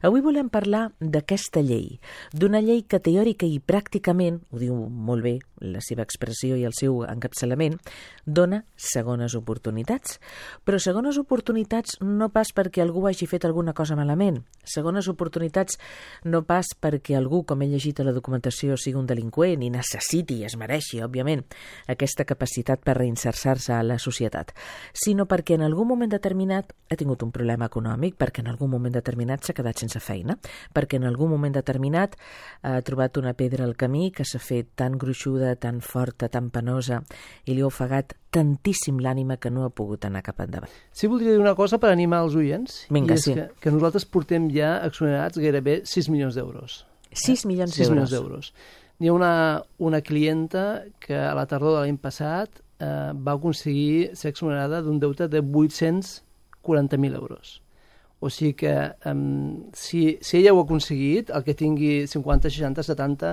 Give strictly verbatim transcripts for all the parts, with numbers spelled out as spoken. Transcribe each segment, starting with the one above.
Avui volem parlar d'aquesta llei, d'una llei que teòrica i pràcticament, ho diu molt bé la seva expressió i el seu encapçalament, dona segones oportunitats. Però segones oportunitats no pas perquè algú hagi fet alguna cosa malament. Segones oportunitats no pas perquè algú, com he llegit a la documentació, sigui un delinqüent i necessiti i es mereixi, òbviament, aquesta capacitat per reinserir-se a la societat, sinó perquè en algun moment determinat ha tingut un problema econòmic, perquè en algun moment determinat s'ha quedat sense feina, perquè en algun moment determinat ha trobat una pedra al camí que s'ha fet tan gruixuda, tan forta, tan penosa, i li ha ofegat tantíssim l'ànima que no ha pogut anar cap endavant. Sí, voldria dir una cosa per animar els oients. Vinga, i és sí. que, que nosaltres portem ja exonerats gairebé sis milions d'euros. sis milions sis d'euros. milions d'euros. Hi ha una, una clienta que a la tardor de l'any passat eh, va aconseguir ser exonerada d'un deute de vuit-cents quaranta mil euros. O sigui que um, si, si ella ho ha aconseguit, el que tingui cinquanta, seixanta, setanta,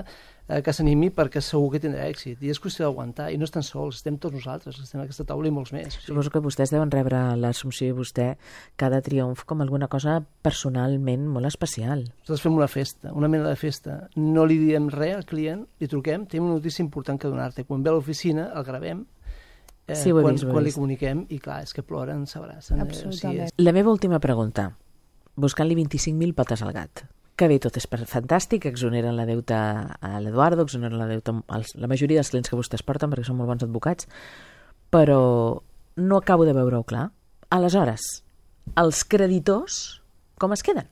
eh, que s'animi perquè segur que tindrà èxit. I és qüestió d'aguantar. I no estan sols, estem tots nosaltres, estem a aquesta taula i molts més. O sigui. Suposo que vostès deuen rebre l'Assumpció i vostè cada triomf com alguna cosa personalment molt especial. Nosaltres fem una festa, una mena de festa. No li diem res al client, li truquem, tenim una notícia important que donar-te. Quan ve a l'oficina, el gravem, Eh, sí, ho he quan, vist, ho he quan li vist. comuniquem, i clar, és que ploren, s'abracen. Absolutament. Eh, o sigui, és... La meva última pregunta, buscant-li vint-i-cinc mil pates al gat. Que bé, tot és fantàstic, exoneren la deuta a l'Eduardo, exoneren la deuta als, la majoria dels clients que vostès porten, perquè són molt bons advocats, però no acabo de veure-ho clar. Aleshores, els creditors, com es queden?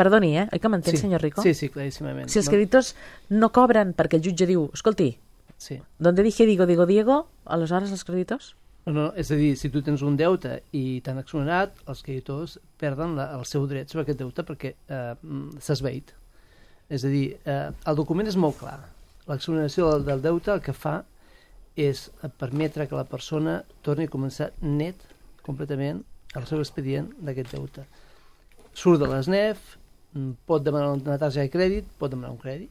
Perdoni, eh? Oi que m'entén, sí, senyor Rico? Sí, sí, claríssimament. Si els creditors no cobren perquè el jutge diu, escolti, Sí. donde dije digo, digo, Diego, aleshores els creditors? No, no, és a dir, si tu tens un deute i t'han exonerat, els creditors perden la, el seu dret sobre aquest deute perquè eh, s'ha esvaït. És a dir, eh, el document és molt clar. L'exoneració del, del deute el que fa és permetre que la persona torni a començar net, completament, el seu expedient d'aquest deute. Surt de l'S N E F, pot demanar una targeta de crèdit, pot demanar un crèdit,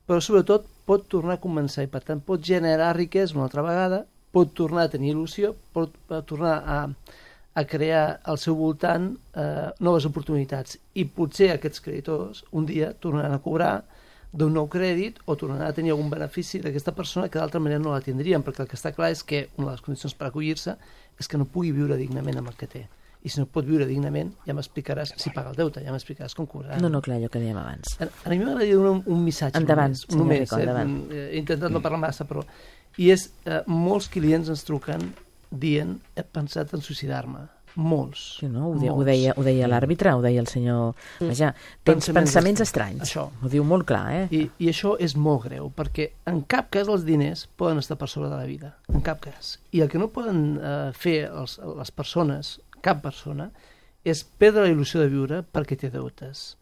però sobretot pot tornar a començar i per tant pot generar riquesa una altra vegada, pot tornar a tenir il·lusió, pot, pot tornar a, a crear al seu voltant eh, noves oportunitats i potser aquests creditors un dia tornaran a cobrar d'un nou crèdit o tornaran a tenir algun benefici d'aquesta persona que d'altra manera no la tindrien, perquè el que està clar és que una de les condicions per acollir-se és que no pugui viure dignament amb el que té. I si no pot viure dignament, ja m'explicaràs si paga el deute, ja m'explicaràs com cobrarà. No, no, clar, allò que dèiem abans. A, a mi m'agradaria donar un, un missatge Endavant, només, senyor només Rico, eh? endavant. He intentat no parlar massa, però... I és, eh, molts clients ens truquen dient, he pensat en suïcidar-me. Molts. Sí, no? Ho, de, ho molts. deia, ho deia l'àrbitre, ho deia el senyor... Vaja, tens pensaments, pensaments estranys. Això. Ho diu molt clar, eh? I, I això és molt greu, perquè en cap cas els diners poden estar per sobre de la vida. En cap cas. I el que no poden eh, fer els, les persones, cap persona, és perdre la il·lusió de viure perquè té deutes.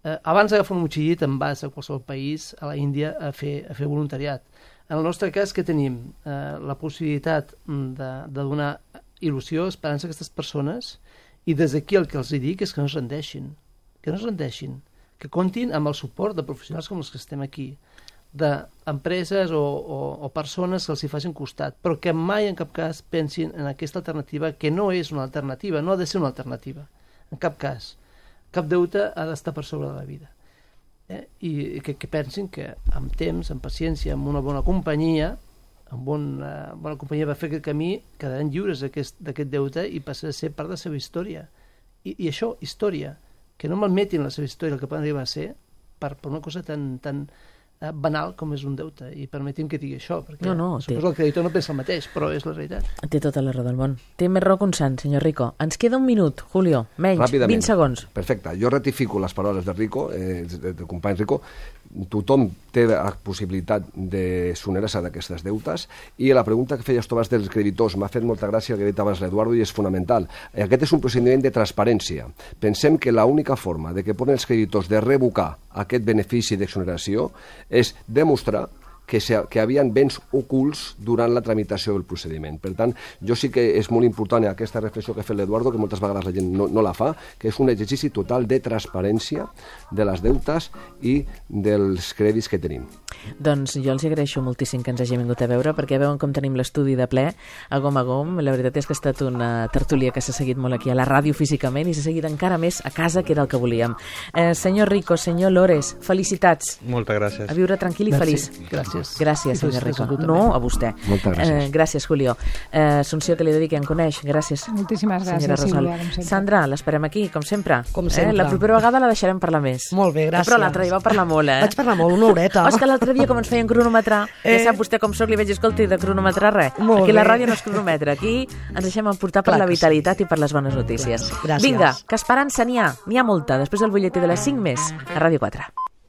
Eh, abans d'agafar un motxillit te'n vas a qualsevol país, a la Índia, a fer, a fer voluntariat. En el nostre cas, que tenim eh, la possibilitat de, de donar il·lusió, esperança a aquestes persones, i des d'aquí el que els dic és que no es rendeixin, que no es rendeixin, que comptin amb el suport de professionals com els que estem aquí, d'empreses o, o, o persones que els hi facin costat, però que mai en cap cas pensin en aquesta alternativa, que no és una alternativa, no ha de ser una alternativa, en cap cas. Cap deute ha d'estar per sobre de la vida. Eh? I que, que pensin que amb temps, amb paciència, amb una bona companyia, amb una bona companyia va fer aquest camí, quedaran lliures d'aquest deute i passarà a ser part de la seva història. I, i això, història, que no malmetin la seva història, el que poden arribar a ser, per, per una cosa tan... tan banal com és un deute, i permetim que digui això, perquè no, no, suposo té... que el creditor no pensa el mateix, però és la realitat. Té tota la raó del món. Té més raó que un sant, senyor Rico. Ens queda un minut, Julio, menys, Ràpidament. vint segons. Perfecte, jo ratifico les paraules de Rico, eh, del company Rico. Tothom té la possibilitat de sonerar-se d'aquestes deutes, i la pregunta que feies tu abans dels creditors m'ha fet molta gràcia el que ha dit abans l'Eduardo, i és fonamental. Aquest és un procediment de transparència. Pensem que l'única forma de que poden els creditors de revocar aquest benefici d'exoneració és demostrar que, se, que havien béns ocults durant la tramitació del procediment. Per tant, jo sí que és molt important aquesta reflexió que ha fet l'Eduardo, que moltes vegades la gent no, no la fa, que és un exercici total de transparència de les deutes i dels crèdits que tenim. Doncs jo els agraeixo moltíssim que ens hagi vingut a veure, perquè veuen com tenim l'estudi de ple, a gom a gom. La veritat és que ha estat una tertúlia que s'ha seguit molt aquí a la ràdio físicament i s'ha seguit encara més a casa, que era el que volíem. Eh, senyor Rico, senyor Lores, felicitats. Moltes gràcies. A viure tranquil i feliç. Gràcies. Gràcies, senyor Rico. No, a vostè. Moltes gràcies. Eh, gràcies, Julio. Eh, Assumpció, que li dediqui, em coneix. Gràcies. Moltíssimes gràcies, Sílvia, com sempre. Sandra, l'esperem aquí, com sempre. Com sempre. Eh? La propera vegada la deixarem parlar més. Molt bé, gràcies. Però l'altre dia va parlar molt, eh? Vaig parlar molt, una horeta. Oh, és que l'altre dia, com ens feien cronometrar, eh? Ja sap vostè com soc, li vaig dir, escolti, de cronometrar res. Molt aquí bé. la ràdio no és cronometre, aquí ens deixem emportar per Clar la que vitalitat sí. I per les bones notícies. Gràcies. Vinga, que esperança n'hi ha, n'hi ha molta. Després del butlletí de les cinc més, a Ràdio quatre.